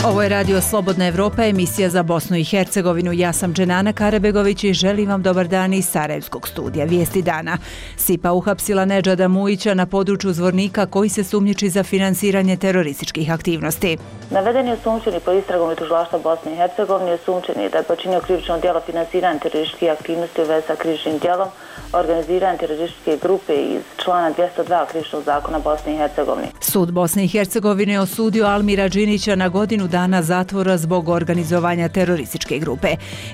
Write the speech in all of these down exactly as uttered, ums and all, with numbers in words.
Ovo je Radio Slobodna Evropa, emisija za Bosnu i Hercegovinu. Ja sam Dženana Karabegović i želim vam dobar dan iz Sarajevskog studija. Vijesti dana. S I P A uhapsila Nedžada Mujića na području Zvornika koji se sumnjiči za finansiranje terorističkih aktivnosti. Navedeni osumnjičeni po istragom i tužilaštva Bosne i Hercegovine osumnjičeni da je počinio krivično djelo finansiranja terorističkih aktivnosti u vezi sa krivičnim djelom, organiziranje terorističke grupe iz člana dvjesto dva krivičnog zakona Bosne i Hercegovine. Sud Bosne i Hercegovine osudio Almira Džinića na godinu dana zatvora zbog organizovanja terorističke grupe.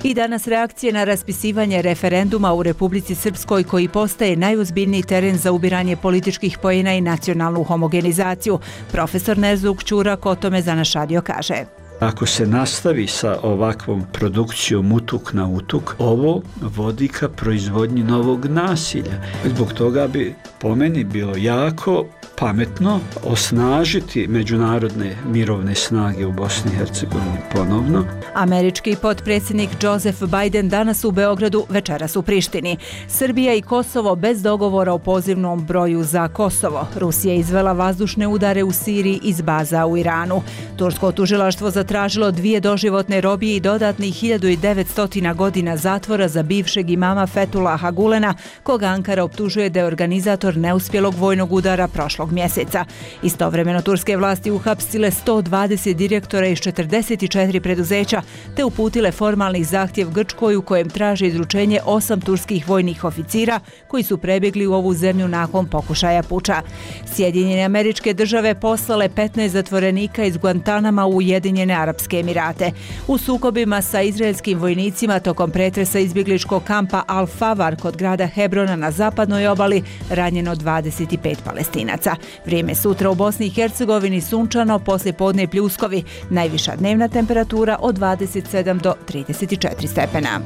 I danas reakcije na raspisivanje referenduma u Republici Srpskoj koji postaje najozbiljniji teren za ubiranje političkih poena i nacionalnu homogenizaciju. Profesor Nezuk Ćurak o tome za naš radio kaže. Ako se nastavi sa ovakvom produkcijom utuk na utuk, ovo vodi ka proizvodnji novog nasilja. Zbog toga bi po meni bilo jako pametno osnažiti međunarodne mirovne snage u Bosni i Hercegovini ponovno. Američki potpredsjednik Joseph Biden danas u Beogradu, večeras u Prištini. Srbija i Kosovo bez dogovora o pozivnom broju za Kosovo. Rusija izvela vazdušne udare u Siriji iz baza u Iranu. Tursko tužilaštvo zatražilo dvije doživotne robije i dodatnih hiljadu devetsto godina zatvora za bivšeg imama Fethullaha Gulena, koga Ankara optužuje da je organizator neuspjelog vojnog udara prošlog mjeseca. Istovremeno turske vlasti uhapsile sto dvadeset direktora iz četrdeset četiri preduzeća te uputile formalni zahtjev Grčkoj u kojem traže izručenje osam turskih vojnih oficira koji su prebjegli u ovu zemlju nakon pokušaja puča. Sjedinjene Američke Države poslale petnaest zatvorenika iz Guantanama u Ujedinjene Arapske Emirate. U sukobima sa izraelskim vojnicima tokom pretresa izbjegličkog kampa Al-Favar kod grada Hebrona na zapadnoj obali ranjeno dvadeset pet Palestinaca. Vrijeme sutra u Bosni i Hercegovini sunčano, poslije podne pljuskovi. Najviša dnevna temperatura od dvadeset sedam do trideset četiri stepena.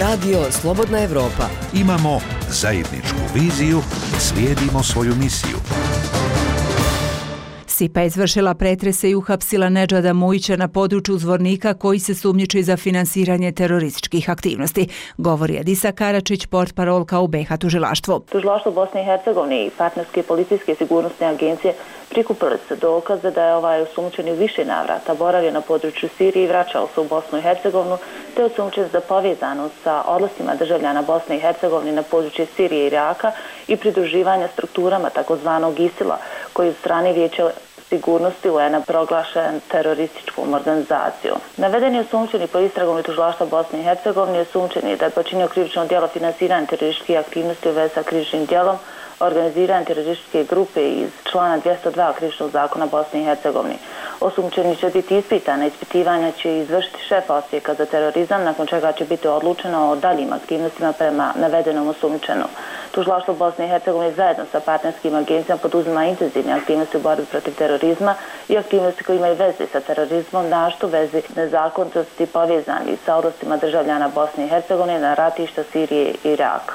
Radio Slobodna Evropa. Imamo zajedničku viziju, slijedimo svoju misiju. S I P A izvršila pretrese i uhapsila Nedžada Mujića na području Zvornika koji se sumnjiči za finansiranje terorističkih aktivnosti, govori Adisa Karačić, portparolka u B iH tužilaštvu. Tužilaštvo Bosne i Hercegovine i partnerske policijske sigurnosne agencije prikupili se dokaze da je ovaj osumnjičeni u više navrata boravio na području Sirije i vraćao se u Bosnu i Hercegovinu, te osumnjičen za povezanost sa odlascima državljana Bosne i Hercegovine na područje Sirije i Iraka i pridruživanja strukturama takozvanog ISIL-a koji od strane Vijeća sigurnosti U N-a proglašen terorističkom organizacijom. Navedeni osumnjičeni po istragom i tužilaštva Bosne i Hercegovine osumnjičeni da je počinio krivično djelo finansiranja terorističkih aktivnosti u vezi sa krivičnim djelom, organiziranje terorističke grupe iz člana dvjesto dva krivičnog zakona Bosne i Hercegovine. Osumnjičeni će biti ispitana, ispitivanja će izvršiti šef Odsjeka za terorizam, nakon čega će biti odlučeno o daljim aktivnostima prema navedenom osumnjičenom. Tužilaštvo Bosne i Hercegovine zajedno sa partnerskim agencijama poduzima intenzivne aktivnosti u borbi protiv terorizma i aktivnosti koje imaju veze sa terorizmom, našto vezi nezakonitosti povezani sa odlascima državljana Bosne i Hercegovine na ratišta Sirije i Iraka.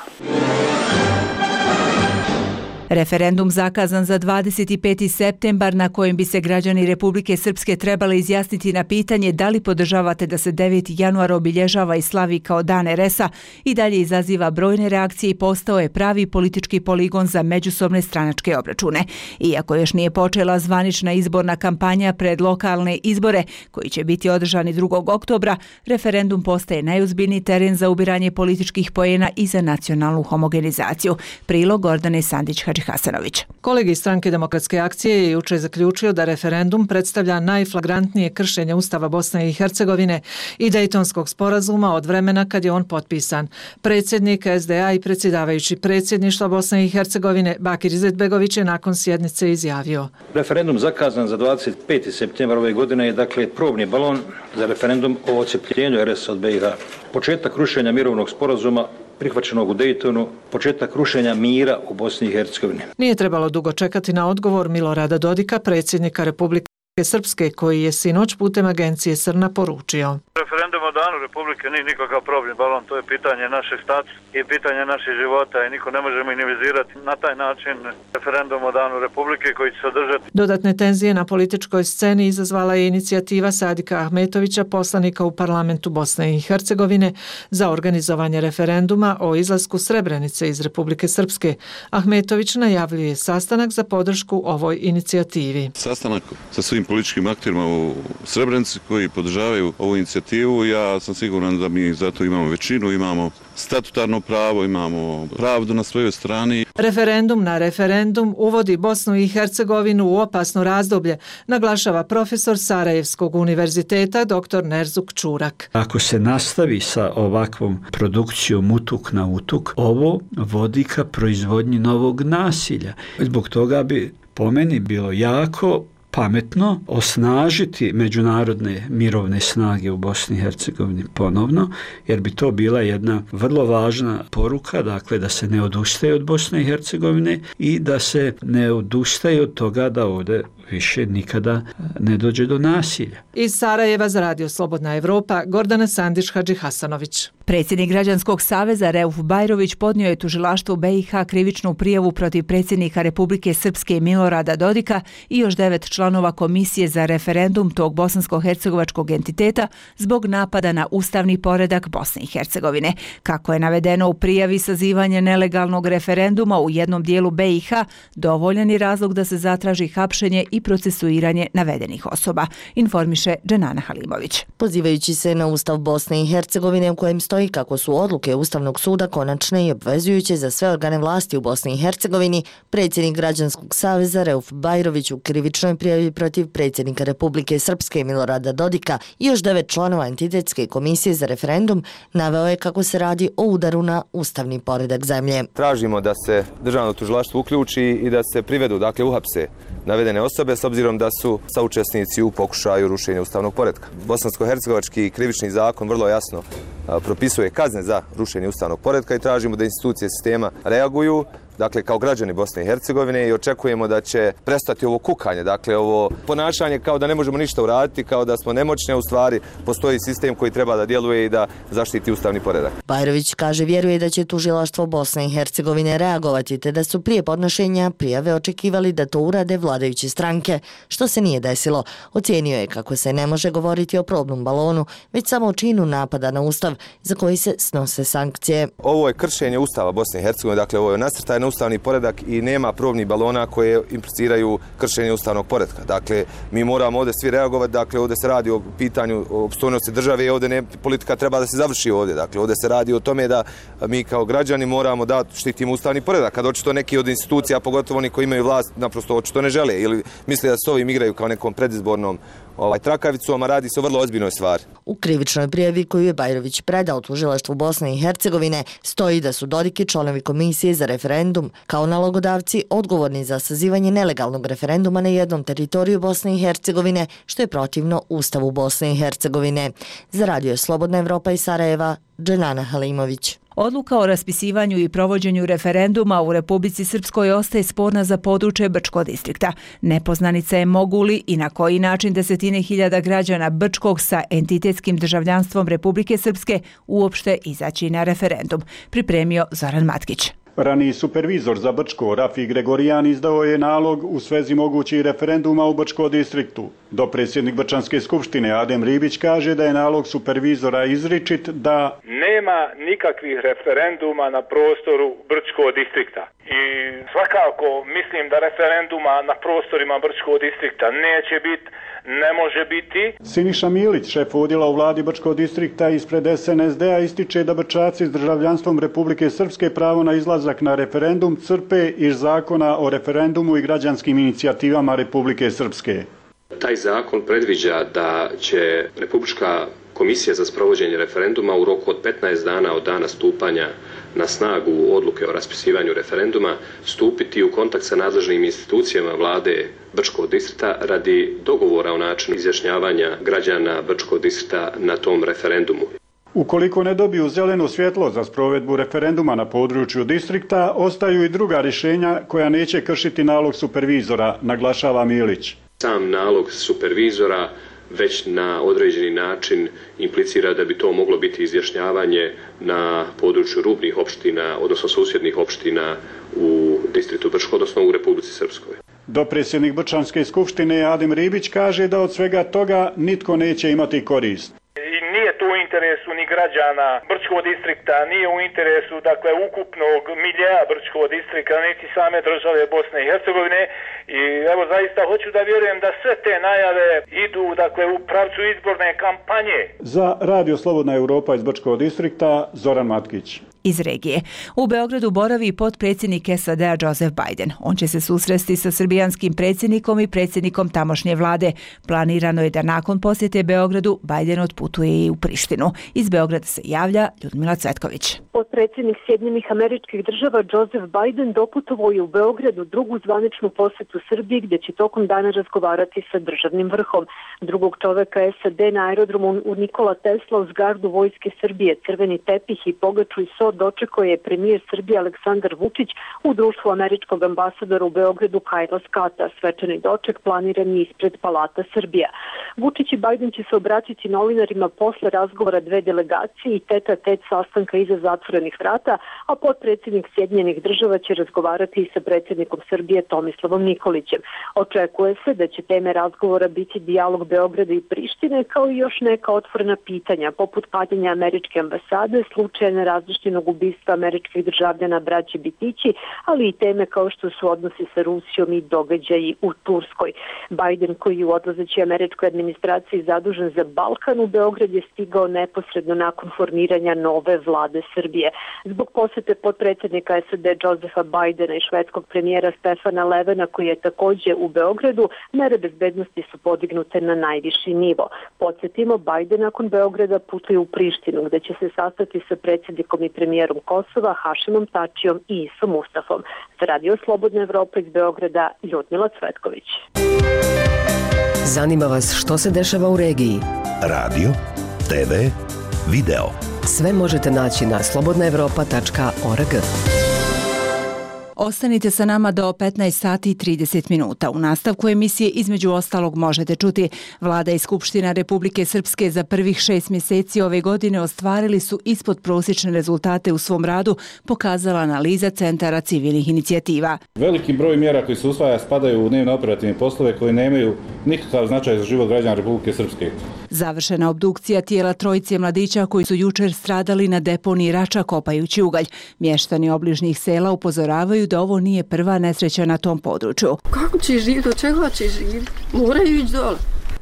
Referendum zakazan za dvadeset peti septembar na kojem bi se građani Republike Srpske trebali izjasniti na pitanje da li podržavate da se deveti januar obilježava i slavi kao dan er es a i dalje izaziva brojne reakcije i postao je pravi politički poligon za međusobne stranačke obračune. Iako još nije počela zvanična izborna kampanja pred lokalne izbore koji će biti održani drugog oktobra, referendum postaje najozbiljniji teren za ubiranje političkih poena i za nacionalnu homogenizaciju. Prilog Gordane Sandić-Hadži Hasanović. Kolegi Stranke demokratske akcije je jučer zaključio da referendum predstavlja najflagrantnije kršenje Ustava Bosne i Hercegovine i Dejtonskog sporazuma od vremena kad je on potpisan. Predsjednik es de a i predsjedavajući predsjedništva Bosne i Hercegovine Bakir Izetbegović je nakon sjednice izjavio. Referendum zakazan za dvadeset peti septembar ove godine je dakle probni balon za referendum o odcepljenju er es a od be i ha. Početak rušenja mirovnog sporazuma prihvaćenog u Dejtonu, početak rušenja mira u Bosni i Hercegovini. Nije trebalo dugo čekati na odgovor Milorada Dodika, predsjednika Republike Srpske, koji je sinoć putem agencije Srna poručio. Referendum o danu Republike nije nikakav probni balon, to je pitanje našeg statusa i pitanje naših života i niko ne može minimizirati na taj način referendum o danu Republike koji će se održati. Dodatne tenzije na političkoj sceni izazvala je inicijativa Sadika Ahmetovića, poslanika u parlamentu Bosne i Hercegovine, za organizovanje referenduma o izlasku Srebrenice iz Republike Srpske. Ahmetović najavljuje sastanak za podršku ovoj inicijativi. Sastanak sa svim političkim akterima u Srebrenici koji podržavaju ovu inicijativu. Ja sam siguran da mi zato imamo većinu, imamo statutarno pravo, imamo pravdu na svojoj strani. Referendum na referendum uvodi Bosnu i Hercegovinu u opasno razdoblje, naglašava profesor Sarajevskog univerziteta dr Nerzuk Čurak. Ako se nastavi sa ovakvom produkcijom utuk na utuk, ovo vodi ka proizvodnji novog nasilja. Zbog toga bi po meni bilo jako pametno osnažiti međunarodne mirovne snage u Bosni i Hercegovini ponovno, jer bi to bila jedna vrlo važna poruka, dakle da se ne odustaje od Bosne i Hercegovine i da se ne odustaje od toga da ovdje više nikada ne dođe do nasilja. Iz Sarajeva za Radio Slobodna Evropa, Gordana Sandić Hadži Hasanović. Predsjednik Građanskog saveza Reuf Bajrović podnio je tužilaštvu B i H krivičnu prijavu protiv predsjednika Republike Srpske Milorada Dodika i još devet članova Komisije za referendum tog bosansko-hercegovačkog entiteta zbog napada na ustavni poredak Bosne i Hercegovine. Kako je navedeno u prijavi, sazivanje nelegalnog referenduma u jednom dijelu B i H dovoljan je razlog da se zatraži hapšenje i procesuiranje navedenih osoba, informiše Dženana Halimović. Pozivajući se na Ustav Bosne i Hercegovine u kojem stoji kako su odluke Ustavnog suda konačne i obvezujuće za sve organe vlasti u Bosni i Hercegovini, predsjednik Građanskog saveza Reuf Bajrović u krivičnoj prijavi protiv predsjednika Republike Srpske Milorada Dodika i još devet članova entitetske komisije za referendum naveo je kako se radi o udaru na ustavni poredak zemlje. Tražimo da se državno tužilaštvo uključi i da se privedu, dakle uhapse navedene osobe s obzirom da su saučesnici u pokušaju rušenja ustavnog poretka. Bosansko-hercegovački krivični zakon vrlo jasno propisuje kazne za rušenje ustavnog poretka i tražimo da institucije sistema reaguju, dakle kao građani Bosne i Hercegovine, i očekujemo da će prestati ovo kukanje, dakle ovo ponašanje kao da ne možemo ništa uraditi, kao da smo nemoćni, a u stvari postoji sistem koji treba da djeluje i da zaštiti ustavni poredak. Bajrović kaže vjeruje da će tužilaštvo Bosne i Hercegovine reagovati, te da su prije podnošenja prijave očekivali da to urade vladajuće stranke, što se nije desilo. Ocijenio je kako se ne može govoriti o probnom balonu, već samo o činu napada na Ustav za koji se snose sankcije. Ovo je kršenje Ustava Bosne i Hercegovine, dakle ovo je nasrtaj na ustavni poredak i nema probnih balona koje impliciraju kršenje ustavnog poretka. Dakle, mi moramo ovdje svi reagovati, dakle ovdje se radi o pitanju opstojnosti države i ovdje ne, politika treba da se završi ovdje. Dakle, ovdje se radi o tome da mi kao građani moramo da štitimo ustavni poredak. Kad očito neki od institucija, pogotovo oni koji imaju vlast, naprosto očito ne žele ili misle da s ovim igraju kao nekom predizbornom ovaj trakavicom, a radi se o vrlo ozbiljnoj stvari. U krivičnoj prijavi koju je Bajrović predao tužilaštvu Bosne i Hercegovine stoji da su Dodik i članovi komisije za referendum kao nalogodavci odgovorni za sazivanje nelegalnog referenduma na jednom teritoriju Bosne i Hercegovine, što je protivno Ustavu Bosne i Hercegovine. Za Radio Slobodna Evropa iz Sarajeva, Dženana Halimović. Odluka o raspisivanju i provođenju referenduma u Republici Srpskoj ostaje sporna za područje Brčkog distrikta. Nepoznanica je mogu li i na koji način desetine hiljada građana Brčkog sa entitetskim državljanstvom Republike Srpske uopšte izaći na referendum, pripremio Zoran Matkić. Raniji supervizor za Brčko, Rafi Gregorijan, izdao je nalog u svezi mogućih referenduma u Brčkom distriktu. Dopredsjednik Brčanske skupštine Adem Ribić kaže da je nalog supervizora izričit da nema nikakvih referenduma na prostoru Brčkog distrikta. I svakako mislim da referenduma na prostorima Brčkog distrikta neće biti, ne može biti. Siniša Milić, šef odjela u vladi Brčkog distrikta ispred S N S D-a, ističe da Brčaci s državljanstvom Republike Srpske pravo na izlazak na referendum crpe iz zakona o referendumu i građanskim inicijativama Republike Srpske. Taj zakon predviđa da će Republička komisija za sprovođenje referenduma u roku od petnaest dana od dana stupanja na snagu odluke o raspisivanju referenduma stupiti u kontakt sa nadležnim institucijama vlade Brčkog distrikta radi dogovora o načinu izjašnjavanja građana Brčkog distrikta na tom referendumu. Ukoliko ne dobiju zeleno svjetlo za sprovedbu referenduma na području distrikta, ostaju i druga rješenja koja neće kršiti nalog supervizora, naglašava Milić. Sam nalog supervizora već na određeni način implicira da bi to moglo biti izjašnjavanje na području rubnih opština, odnosno susjednih opština u distriktu Brčko, odnosno u Republici Srpskoj. Dopredsjednik Brčanske skupštine Adem Ribić kaže da od svega toga nitko neće imati korist. I nije to u interesu ni građana Brčkog distrikta, nije u interesu dakle ukupnog miljeja Brčkog distrikta, niti same države Bosne i Hercegovine. I evo zaista hoću da vjerujem da sve te najave idu dakle u pravcu izborne kampanje. Za Radio Slobodna Europa iz Brčkog distrikta Zoran Matkić. Iz regije. U Beogradu boravi potpredsjednik S A D-a Joseph Biden. On će se susresti sa srbijanskim predsjednikom i predsjednikom tamošnje vlade. Planirano je da nakon posjete Beogradu Biden otputuje i u Prištinu. Iz Beograda se javlja Ljudmila Cvetković. Potpredsjednik Sjedinjenih Američkih Država Joseph Biden doputovao je u Beogradu drugu zvaničnu posjetu Srbiji gdje će tokom dana razgovarati sa državnim vrhom. Drugog čoveka S A D na aerodromu u Nikola Tesla uz gardu vojske Srbije, crveni tepih i pogaču i so dočekao je premijer Srbije Aleksandar Vučić u društvu američkog ambasadora u Beogradu Kajla Skata. Svečani doček planiran je ispred Palata Srbija. Vučić i Biden će se obratiti novinarima posle razgovora dve delegacije i teta tet sastanka iza zatvorenih vrata, a potpredsjednik Sjedinjenih Država će razgovarati i sa predsjednikom Srbije Tomislavom Nikolićem. Očekuje se da će teme razgovora biti dijalog Beograda i Prištine, kao i još neka otvorena pitanja, poput paljenja američke ambasade, slučaja nerazlištenog ubistva američkih državljana braće Bitići, ali i teme kao što su odnosi sa Rusijom i događaji u Turskoj. Biden, koji je u odlazećoj američkoj administraciji zadužen za Balkan, u Beograd je stigao neposredno nakon formiranja nove vlade Srbije. Zbog posjete potpredsjednika S A D Josepha Bidena i švedskog premijera Stefana Levena, koji je također u Beogradu, mere bezbednosti su podignute na najviši nivo. Podsjetimo, Biden nakon Beograda putuje u Prištinu, gde će se sastati sa predsjednikom i premijerom Kosova Hašimom Tačijom i Isom Mustafom. Za Radio Slobodna Evropa iz Beograda, Ljudmila Cvetković. Zanima vas što se dešava u regiji? Radio, te ve, video. Sve možete naći na slobodna evropa tačka org. Ostanite sa nama do petnaest sati i trideset minuta. U nastavku emisije između ostalog možete čuti: Vlada i Skupština Republike Srpske za prvih šest mjeseci ove godine ostvarili su ispod prosječne rezultate u svom radu, pokazala analiza Centara civilnih inicijativa. Veliki broj mjera koji se usvaja spadaju u dnevne operativne poslove koji nemaju nikakav značaj za život građana Republike Srpske. Završena obdukcija tijela trojice mladića koji su jučer stradali na deponiji Rača kopajući ugalj. Mještani obližnjih sela upozoravaju da ovo nije prva nesreća na tom području. Kako će živjeti, od čega će živjeti? Moraju ići dole.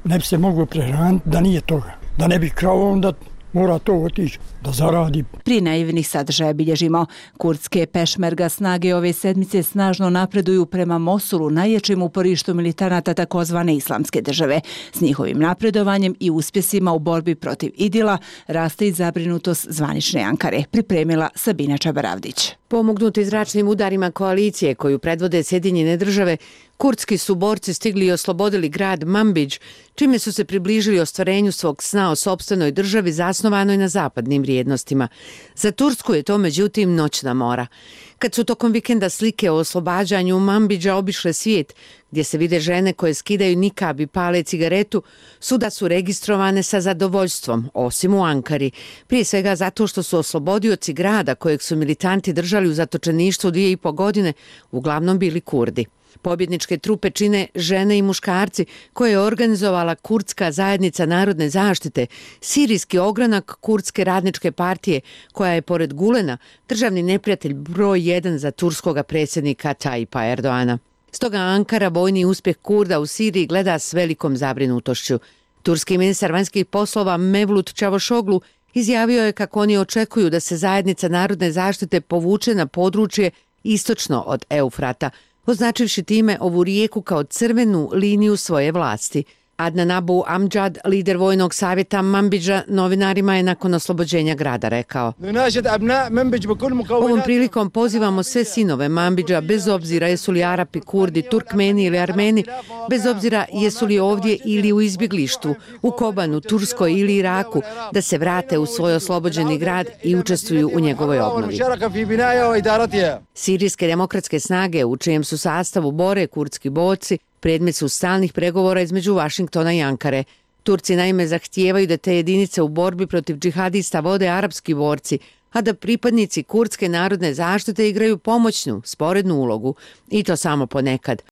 Ne bi se moglo prehraniti da nije toga. Da ne bi kravo, onda mora to otići da zaradi. Prije naivnih sadržaja bilježimo: kurdske pešmerga snage ove sedmice snažno napreduju prema Mosulu, najjačem uporištu militanata takozvane islamske države. S njihovim napredovanjem i uspjesima u borbi protiv Idila raste i zabrinutost zvanične Ankare, pripremila Sabina Čabaravdić. Pomognuti zračnim udarima koalicije koju predvode Sjedinjene države, kurdski su borci stigli i oslobodili grad Manbidž, čime su se približili ostvarenju svog sna o sopstvenoj državi zasnovanoj na zapadnim vrijednostima. Za Tursku je to međutim noćna mora. Kad su tokom vikenda slike o oslobađanju Manbidža obišle svijet, gdje se vide žene koje skidaju nikab i pale cigaretu, svuda su registrovane sa zadovoljstvom, osim u Ankari. Prije svega zato što su oslobodioci grada kojeg su militanti držali u zatočeništvu dvije i po godine, uglavnom bili Kurdi. Pobjedničke trupe čine žene i muškarci koje je organizovala Kurdska zajednica narodne zaštite, sirijski ogranak Kurdske radničke partije, koja je pored Gulena državni neprijatelj broj jedan za turskoga predsjednika Tayyipa Erdoana. Stoga Ankara vojni uspjeh Kurda u Siriji gleda s velikom zabrinutošću. Turski ministar vanjskih poslova Mevlut Čavošoglu izjavio je kako oni očekuju da se zajednica narodne zaštite povuče na područje istočno od Eufrata, označivši time ovu rijeku kao crvenu liniju svoje vlasti. Adnan Abu Amjad, lider vojnog savjeta Manbidža, novinarima je nakon oslobođenja grada rekao: Ovom prilikom pozivamo sve sinove Manbidža, bez obzira jesu li Arapi, Kurdi, Turkmeni ili Armeni, bez obzira jesu li ovdje ili u izbjeglištvu, u Kobanu, Turskoj ili Iraku, da se vrate u svoj oslobođeni grad i učestvuju u njegovoj obnovi. Sirijske demokratske snage, u čijem su sastavu bore kurdski borci, Predmet su stalnih pregovora između Vašingtona i Ankare. Turci naime zahtijevaju da te jedinice u borbi protiv džihadista vode arapski borci, a da pripadnici kurdske narodne zaštite igraju pomoćnu, sporednu ulogu, i to samo ponekad.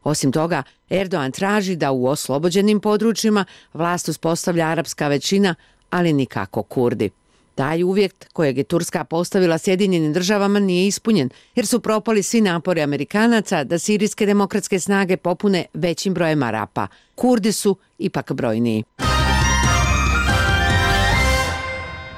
Osim toga, Erdogan traži da u oslobođenim područjima vlast uspostavlja arapska većina, ali nikako Kurdi. Taj uvjet kojeg je Turska postavila Sjedinjenim državama nije ispunjen, jer su propali svi napori Amerikanaca da sirijske demokratske snage popune većim brojem Arapa. Kurdi su ipak brojniji.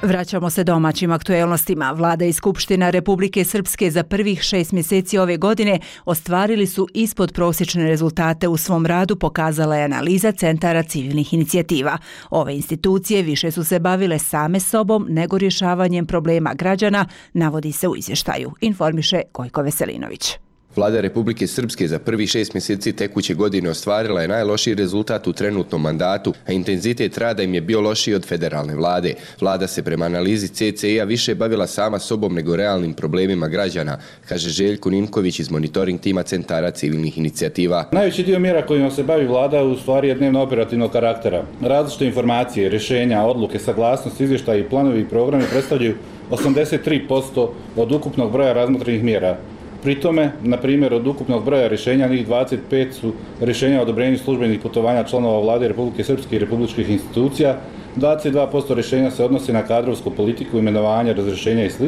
Vraćamo se domaćim aktuelnostima. Vlada i Skupština Republike Srpske za prvih šest mjeseci ove godine ostvarili su ispod prosječne rezultate u svom radu, pokazala je analiza Centara civilnih inicijativa. Ove institucije više su se bavile same sobom nego rješavanjem problema građana, navodi se u izvještaju, informiše Gojko Veselinović. Vlada Republike Srpske za prvi šest mjeseci tekuće godine ostvarila je najlošiji rezultat u trenutnom mandatu, a intenzitet rada im je bio lošiji od federalne vlade. Vlada se prema analizi C C I-a više bavila sama sobom nego realnim problemima građana, kaže Željko Ninković iz monitoring tima Centara civilnih inicijativa. Najveći dio mjera kojima se bavi vlada u stvari je dnevno operativnog karaktera. Različite informacije, rješenja, odluke, saglasnosti, izvještaji, planovi i programi predstavljaju osamdeset tri posto od ukupnog broja razmotrenih mjera. Pri tome, na primjer, od ukupnog broja rješenja, njih dvadeset pet su rješenja o odobrenju službenih putovanja članova vlade Republike Srpske i republičkih institucija, dvadeset dva posto rješenja se odnosi na kadrovsku politiku, imenovanja, razrješenja i sl.,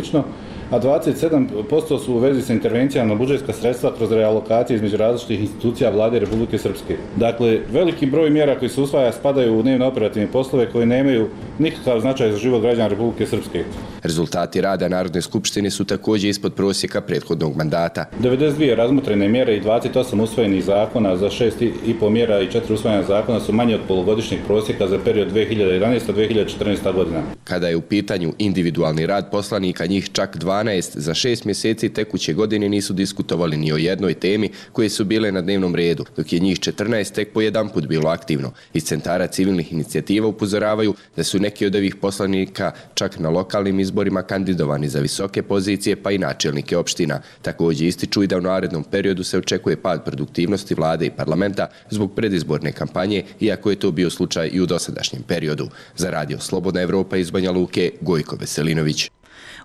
a dvadeset sedam posto su u vezi sa intervencijama na budžetska sredstva kroz realokacije između različitih institucija vlade Republike Srpske. Dakle, veliki broj mjera koji se usvaja spadaju u dnevno operativne poslove koji nemaju nikakav značaj za život građana Republike Srpske. Rezultati rada Narodne skupštine su također ispod prosjeka prethodnog mandata. devedeset dvije razmotrene mjere i dvadeset osam usvojenih zakona za šest i pol mjera i četiri usvojena zakona su manje od polugodišnjeg prosjeka za period dve hiljade jedanaesta do dve hiljade četrnaeste. godina. Kada je u pitanju individualni rad poslanika, njih čak dvanaest za šest mjeseci tekuće godine nisu diskutovali ni o jednoj temi koje su bile na dnevnom redu, dok je njih četrnaest tek po jedan put bilo aktivno. Iz Centara civilnih inicijativa upozoravaju da su neki od ovih poslanika čak na lokalnim izborima kandidovani za visoke pozicije pa i načelnike opština. Također ističu i da u narednom periodu se očekuje pad produktivnosti vlade i parlamenta zbog predizborne kampanje, iako je to bio slučaj i u dosadašnjem periodu. Za Radio Slobodna Evropa iz Banja Luke, Gojko Veselinović.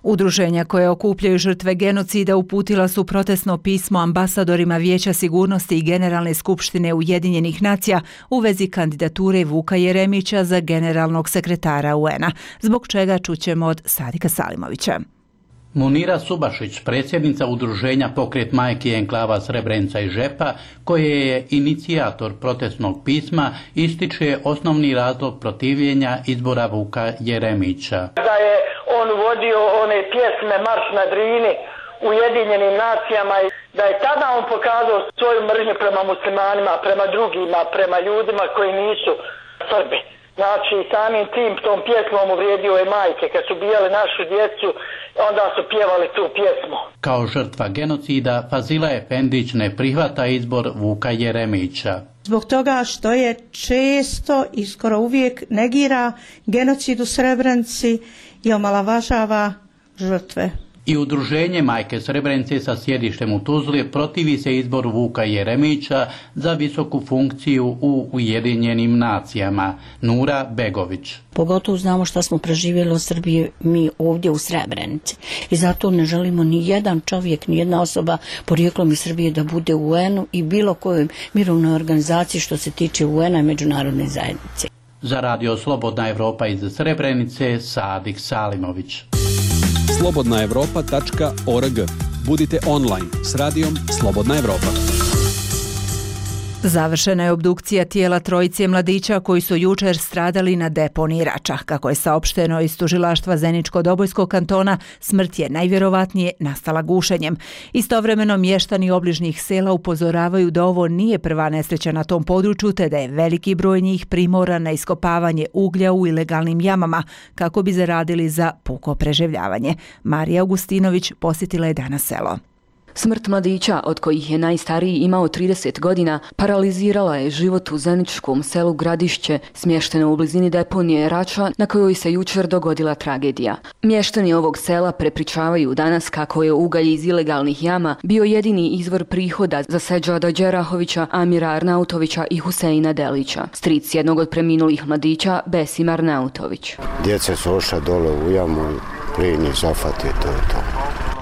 Udruženja koje okupljaju žrtve genocida uputila su protestno pismo ambasadorima Vijeća sigurnosti i Generalne skupštine Ujedinjenih nacija u vezi kandidature Vuka Jeremića za generalnog sekretara U N-a, zbog čega čućemo od Sadika Salimovića. Munira Subašić, predsjednica udruženja Pokret majki enklava Srebrenica i Žepa, koje je inicijator protestnog pisma, ističe osnovni razlog protivljenja izbora Vuka Jeremića. Da je on vodio one pjesme Marš na Drini u Ujedinjenim nacijama i da je tada on pokazao svoju mržnju prema muslimanima, prema drugima, prema ljudima koji nisu Srbi. Znači, samim tim tom pjesmom uvrijedio je majke. Kad su bijali našu djecu, onda su pjevali tu pjesmu. Kao žrtva genocida, Fazila Efendić ne prihvata izbor Vuka Jeremića. Zbog toga što je često i skoro uvijek negira genocid u Srebrenici i omalovažava žrtve. I udruženje Majke Srebrenice sa sjedištem u Tuzli protivi se izboru Vuka Jeremića za visoku funkciju u Ujedinjenim nacijama. Nura Begović. Pogotovo znamo šta smo preživjeli u Srbiji mi ovdje u Srebrenici. I zato ne želimo ni jedan čovjek, ni jedna osoba porijeklom iz Srbije da bude u U N-u i bilo kojoj mirovnoj organizaciji što se tiče U N-a i međunarodne zajednice. Za Radio Slobodna Evropa iz Srebrenice, Sadik Salimović. slobodna evropa tačka org. Budite online s radijom Slobodna Evropa. Završena je obdukcija tijela trojice mladića koji su jučer stradali na deponiji Rača. Kako je saopšteno iz tužilaštva Zeničko-Dobojskog kantona, smrt je najvjerovatnije nastala gušenjem. Istovremeno mještani obližnjih sela upozoravaju da ovo nije prva nesreća na tom području, te da je veliki broj njih primoran na iskopavanje uglja u ilegalnim jamama kako bi zaradili za puko preživljavanje. Marija Augustinović posjetila je danas selo. Smrt mladića, od kojih je najstariji imao trideset godina, paralizirala je život u zeničkom selu Gradišće, smješteno u blizini deponije Rača, na kojoj se jučer dogodila tragedija. Mještani ovog sela prepričavaju danas kako je ugalj iz ilegalnih jama bio jedini izvor prihoda za Seđada Đerahovića, Amira Arnautovića i Huseina Delića, stric jednog od preminulih mladića, Besim Arnautović. Djeca su ošla dole u jamu, plin je zafate, to je to.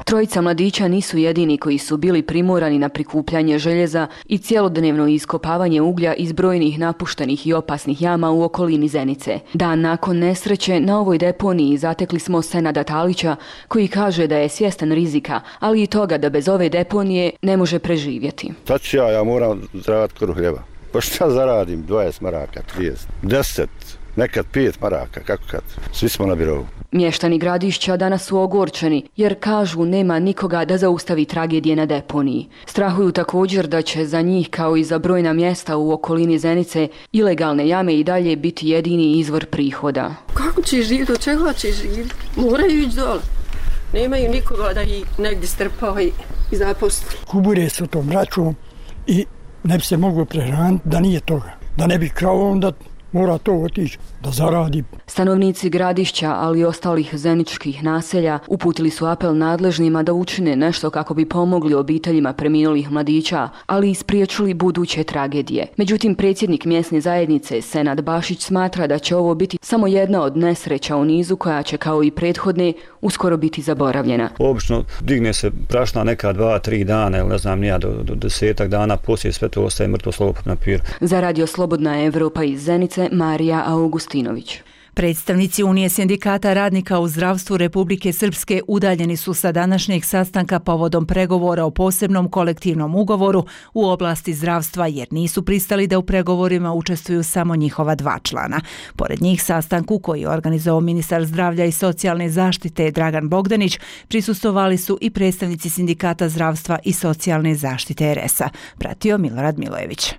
Trojica mladića nisu jedini koji su bili primorani na prikupljanje željeza i cjelodnevno iskopavanje uglja iz brojnih napuštenih i opasnih jama u okolini Zenice. Dan nakon nesreće na ovoj deponiji zatekli smo Senada Talića, koji kaže da je svjestan rizika, ali i toga da bez ove deponije ne može preživjeti. Sad ću ja, ja moram zaraditi kruh hljeba. Pa šta zaradim? dvadeset maraka, trideset, deset, nekad pet maraka, kako kad? Svi smo na birovu. Mještani Gradišća danas su ogorčeni jer kažu nema nikoga da zaustavi tragedije na deponiji. Strahuju također da će za njih kao i za brojna mjesta u okolini Zenice ilegalne jame i dalje biti jedini izvor prihoda. Kako će živjeti, od čega će živjeti? Moraju ići dole. Nemaju nikoga da ih negdje strpava i zaposli. Kubure su tom račom i ne bi se moglo prehraniti da nije toga. Da ne bi krao onda mora to otići da zaradi. Stanovnici Gradišća, ali i ostalih zeničkih naselja, uputili su apel nadležnima da učine nešto kako bi pomogli obiteljima preminulih mladića, ali i spriječili buduće tragedije. Međutim, predsjednik mjesne zajednice Senad Bašić smatra da će ovo biti samo jedna od nesreća u nizu koja će, kao i prethodne, uskoro biti zaboravljena. Obično digne se prašna neka dva, tri dana, ili ne znam nija, do, do desetak dana, poslije sve to ostaje mrtvo slovo pod papiru. Za Radio Slobodna Evropa iz Zenice, Marija Augustinović. Predstavnici Unije sindikata radnika u zdravstvu Republike Srpske udaljeni su sa današnjeg sastanka povodom pregovora o posebnom kolektivnom ugovoru u oblasti zdravstva jer nisu pristali da u pregovorima učestvuju samo njihova dva člana. Pored njih sastanku koji je organizovao ministar zdravlja i socijalne zaštite Dragan Bogdanić prisustvovali su i predstavnici sindikata zdravstva i socijalne zaštite er es a. Pratio Milorad Milojević.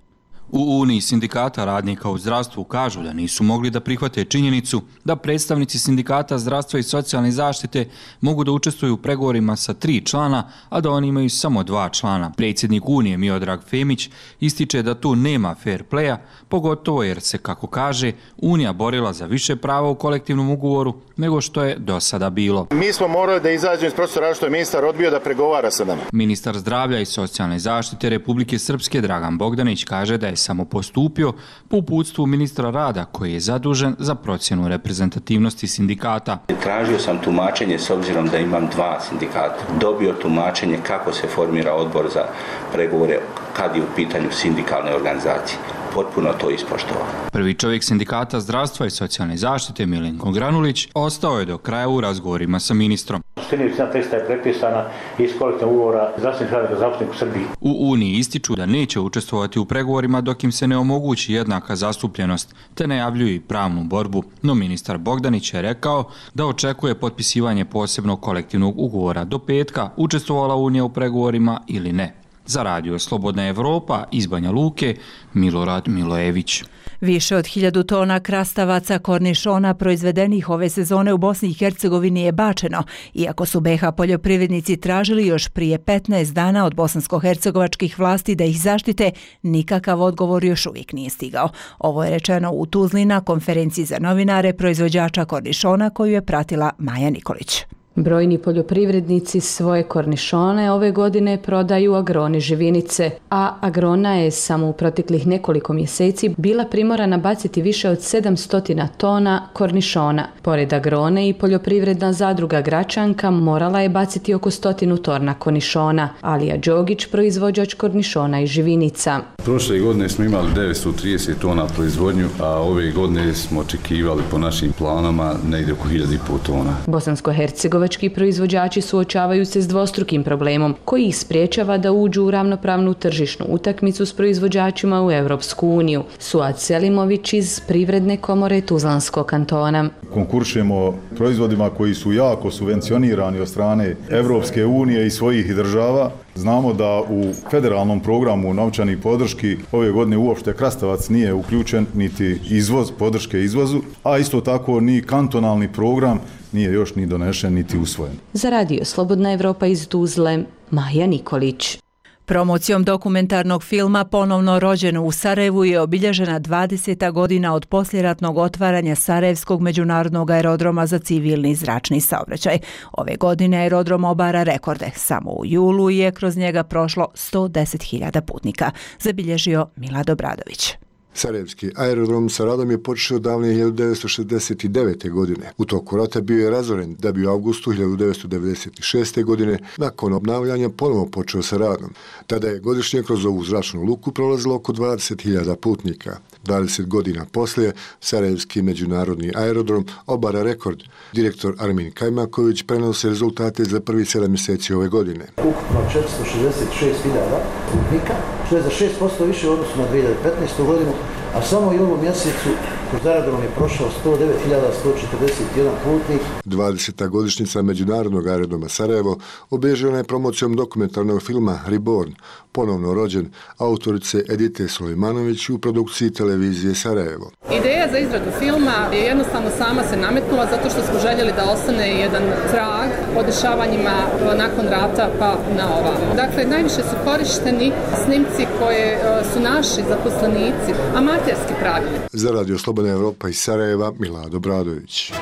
U Uniji sindikata radnika u zdravstvu kažu da nisu mogli da prihvate činjenicu da predstavnici sindikata zdravstva i socijalne zaštite mogu da učestvuju u pregovorima sa tri člana, a da oni imaju samo dva člana. Predsjednik Unije Miodrag Femić ističe da tu nema fair playa, pogotovo jer se, kako kaže, Unija borila za više prava u kolektivnom ugovoru nego što je do sada bilo. Mi smo morali da izađemo iz prostora što je ministar odbio da pregovara sa nama. Ministar zdravlja i socijalne zaštite Republike Srpske Dragan Bogdanić kaže da je samo postupio po uputstvu ministra rada koji je zadužen za procjenu reprezentativnosti sindikata. Tražio sam tumačenje s obzirom da imam dva sindikata. Dobio tumačenje kako se formira odbor za pregovore kad je u pitanju sindikalne organizacije. Potpuno to ispoštovao. Prvi čovjek sindikata zdravstva i socijalne zaštite Milenko Granulić ostao je do kraja u razgovorima sa ministrom. Većina teksta je prepisana iz kolektivnog ugovora zdravstvenih radnika zaposlenih u Srbiji. U Uniji ističu da neće učestvovati u pregovorima dok im se ne omogući jednaka zastupljenost, te najavljuju i pravnu borbu. No ministar Bogdanić je rekao da očekuje potpisivanje posebnog kolektivnog ugovora do petka, učestvovala Unija u pregovorima ili ne. Za Radio Slobodna Evropa iz Banja Luke, Milorad Milojević. Više od hiljadu tona krastavaca kornišona proizvedenih ove sezone u Bosni i Hercegovini je bačeno, iako su be ha poljoprivrednici tražili još prije petnaest dana od bosansko-hercegovačkih vlasti da ih zaštite, nikakav odgovor još uvijek nije stigao. Ovo je rečeno u Tuzli na konferenciji za novinare proizvođača kornišona koju je pratila Maja Nikolić. Brojni poljoprivrednici svoje kornišone ove godine prodaju Agroni Živinice, a Agrona je samo u proteklih nekoliko mjeseci bila primorana baciti više od sedamsto tona kornišona. Pored Agrone i poljoprivredna zadruga Gračanka morala je baciti oko stotinu tona kornišona. Alija Đogić, proizvođač kornišona i živinica. Prošle godine smo imali devetsto trideset tona proizvodnju, a ove godine smo očekivali po našim planama negdje oko hiljadu i pol tona. Bosansko-hercegovački proizvođači suočavaju se s dvostrukim problemom koji ih spriječava da uđu u ravnopravnu tržišnu utakmicu s proizvođačima u Europsku uniju. Suad Selimović iz Privredne komore Tuzlanskog kantona. Konkuršujemo proizvodima koji su jako subvencionirani od strane Europske unije i svojih država. Znamo da u federalnom programu novčanih podrški ove godine uopšte krastavac nije uključen, niti izvoz, podrške izvozu, a isto tako ni kantonalni program nije još ni donešen niti usvojen. Za radio Slobodna Evropa iz Tuzle, Maja Nikolić. Promocijom dokumentarnog filma Ponovno rođeno u Sarajevu je obilježena dvadeseta godina od poslijeratnog otvaranja Sarajevskog međunarodnog aerodroma za civilni zračni saobraćaj. Ove godine aerodrom obara rekorde. Samo u julu je kroz njega prošlo sto deset hiljada putnika, zabilježio Milad Obradović. Sarajevski aerodrom sa radom je počeo davne hiljadu devetsto šezdeset devete. godine. U toku rata bio je razoren da bi u avgustu hiljadu devetsto devedeset šeste. godine nakon obnavljanja ponovo počeo sa radom. Tada je godišnje kroz ovu zračnu luku prolazilo oko dvadeset hiljada putnika. dvadeset godina poslije Sarajevski međunarodni aerodrom obara rekord. Direktor Armin Kajmaković prenosi rezultate za prvi sedam mjeseci ove godine. Ukupno četiristo šezdeset šest hiljada putnika, što je za šest posto više u odnosu na dvije hiljade petnaestu. godinu, a samo i u ovom mjesecu kroz aerodrom je prošao sto devet hiljada sto četrdeset jedan putnik. dvadeseta godišnjica međunarodnog aerodroma Sarajevo obilježena je promocijom dokumentarnog filma Reborn, Ponovno rođen, autorice Edite Sulejmanović u produkciji televizije Sarajevo. Ideja za izradu filma je jednostavno sama se nametnula zato što smo željeli da ostane jedan trag o dešavanjima nakon rata pa na ovamo. Dakle, najviše su korišteni snimci koje su naši zaposlenici amaterski pravili. Za radio Slobodna Evropa iz Sarajeva, Milad Obradović.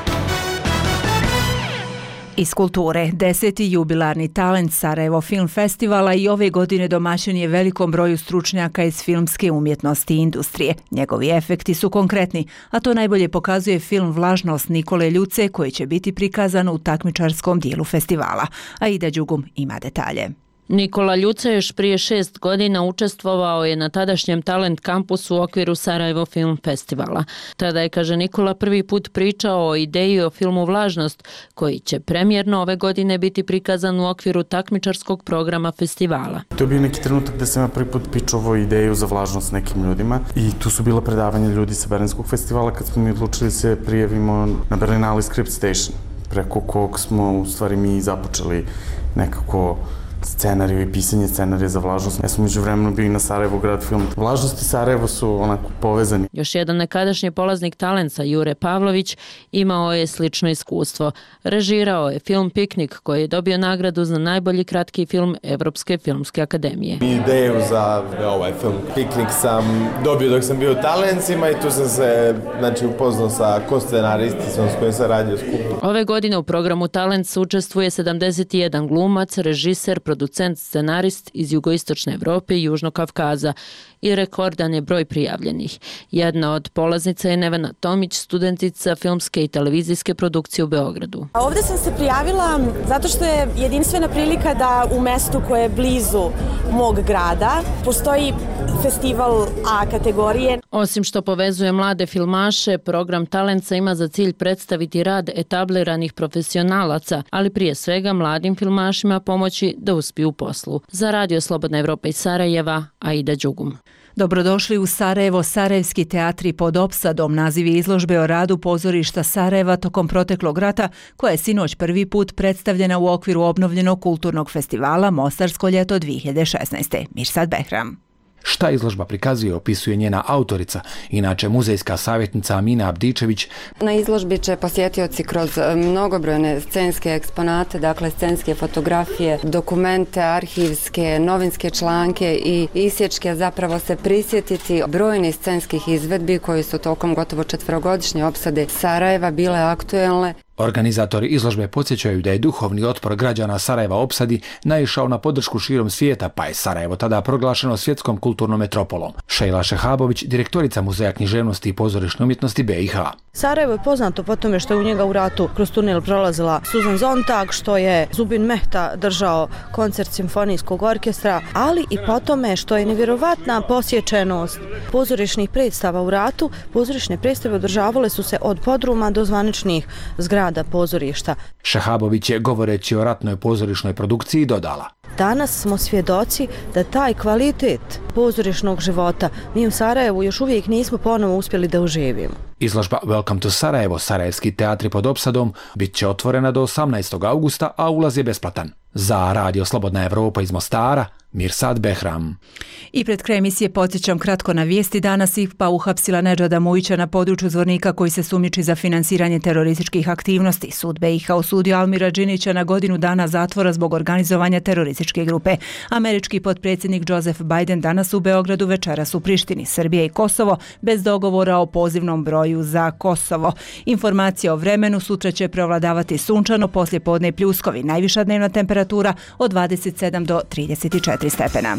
Iz kulture, deseti jubilarni talent Sarajevo Film Festivala i ove godine domaćin je velikom broju stručnjaka iz filmske umjetnosti i industrije. Njegovi efekti su konkretni, a to najbolje pokazuje film Vlažnost Nikole Ljuce koji će biti prikazan u takmičarskom dijelu festivala. Aida Đugum ima detalje. Nikola Ljuca još prije šest godina učestvovao je na tadašnjem Talent kampusu u okviru Sarajevo Film Festivala. Tada je, kaže Nikola, prvi put pričao o ideji o filmu Vlažnost, koji će premijerno ove godine biti prikazan u okviru takmičarskog programa festivala. To je bio neki trenutak da sam ja prvi put pičovao ideju za Vlažnost nekim ljudima i tu su bila predavanja ljudi sa Berlinskog festivala kad smo mi odlučili se prijavimo na Berlinale Script Station, preko kog smo u stvari mi započeli nekako scenariju i pisanje scenarija za Vlažnost. Ja sam među vremenu bio i na Sarajevo grad film. Vlažnost i Sarajevo su onako povezani. Još jedan nekadašnji polaznik talenca, Jure Pavlović, imao je slično iskustvo. Režirao je film Piknik koji je dobio nagradu za najbolji kratki film Evropske filmske akademije. Ideju za ovaj film Piknik sam dobio dok sam bio u Talencima i tu sam se znači, upoznao sa ko-scenaristicom s kojim sam radio skupo. Ove godine u programu Talent učestvuje sedamdeset jedan glumac, režiser, producent, scenarist iz jugoistočne Evrope i Južnog Kavkaza i rekordan je broj prijavljenih. Jedna od polaznica je Nevena Tomić, studentica filmske i televizijske produkcije u Beogradu. Ovdje sam se prijavila zato što je jedinstvena prilika da u mestu koje je blizu mog grada postoji festival A kategorije. Osim što povezuje mlade filmaše, program Talenca ima za cilj predstaviti rad etabliranih profesionalaca, ali prije svega mladim filmašima pomoći da uspiju u poslu. Za radio Slobodna Evropa iz Sarajeva, Aida Đugum. Dobrodošli u Sarajevo, Sarajevski teatri pod opsadom, naziv je izložbe o radu pozorišta Sarajeva tokom proteklog rata, koja je sinoć prvi put predstavljena u okviru obnovljenog kulturnog festivala Mostarsko ljeto dvije hiljade šesnaeste. Mirsad Behram. Šta izložba prikazuje, opisuje njena autorica, inače muzejska savjetnica Amina Abdičević. Na izložbi će posjetioci kroz mnogobrojne scenske eksponate, dakle scenske fotografije, dokumente, arhivske, novinske članke i isječke zapravo se prisjetiti brojnih scenskih izvedbi koji su tokom gotovo četverogodišnje opsade Sarajeva bile aktuelne. Organizatori izložbe podsjećaju da je duhovni otpor građana Sarajeva opsadi naišao na podršku širom svijeta, pa je Sarajevo tada proglašeno svjetskom kulturnom metropolom. Šejla Šehabović, direktorica Muzeja književnosti i pozorišne umjetnosti B i H. Sarajevo je poznato po tome što je u njega u ratu kroz tunel prolazila Suzan Zontag, što je Zubin Mehta držao koncert simfonijskog orkestra, ali i po tome što je nevjerovatna posjećenost pozorišnih predstava u ratu. Pozorišne predstave održavale su se od podruma do zvaničnih zgrada pozorišta. Šehabović je, govoreći o ratnoj pozorišnoj produkciji, dodala: Danas smo svjedoci da taj kvalitet pozorišnog života mi u Sarajevu još uvijek nismo ponovo uspjeli da uživimo. Izložba Welcome to Sarajevo, Sarajevski teatri pod opsadom, bit će otvorena do osamnaestog augusta, a ulaz je besplatan. Za Radio Slobodna Evropa iz Mostara, Mirsad Behram. I pred kraj emisije podsjećam kratko na vijesti. Danas I P A uhapsila Nedžada Mujića na području Zvornika koji se sumnjiči za finansiranje terorističkih aktivnosti. Sud B I H osudio Almira Džinića na godinu dana zatvora zbog organizovanja terorističke grupe. Američki potpredsjednik Joseph Biden danas u Beogradu, večeras u Prištini. Srbija I Kosovo bez dogovora o pozivnom broju za Kosovo. Informacija o vremenu: sutra će prevladavati sunčano, poslije podne i pljuskovi. Najviša dnevna temperatura od dvadeset sedam do trideset četiri stepena.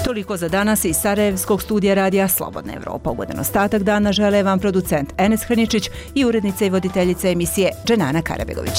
Toliko za danas iz Sarajevskog studija radija Slobodna Evropa. Ugodan ostatak dana žele vam producent Enes Hrničić i urednica i voditeljica emisije Dženana Karabegović.